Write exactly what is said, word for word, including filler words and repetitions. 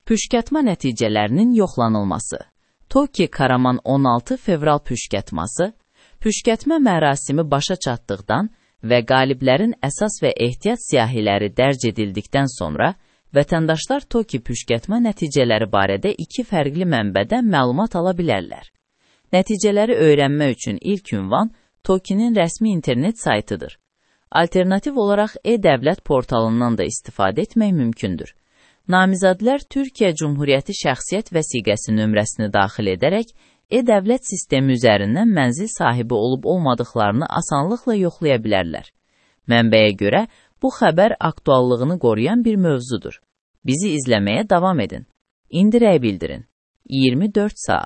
Püşkətmə nəticələrinin yoxlanılması. Toki Karaman on altı fevral püşkətması, püşkətmə mərasimi başa çatdıqdan və qaliblərin əsas və ehtiyat siyahiləri dərc edildikdən sonra, vətəndaşlar Toki püşkətmə nəticələri barədə iki fərqli mənbədən məlumat ala bilərlər. Nəticələri öyrənmək üçün ilk ünvan Tokinin rəsmi internet saytıdır. Alternativ olaraq e-Dövlət portalından da istifadə etmək mümkündür. Namizədlər Türkiyə Cumhuriyyəti şəxsiyyət vəsiqəsi nömrəsini daxil edərək e-Dövlət sistemi üzərindən mənzil sahibi olub olmadıqlarını asanlıqla yoxlaya bilərlər. Mənbəyə görə bu xəbər aktuallığını qoruyan bir mövzudur. Bizi izləməyə davam edin. İndirək bildirin. iyirmi dörd saat.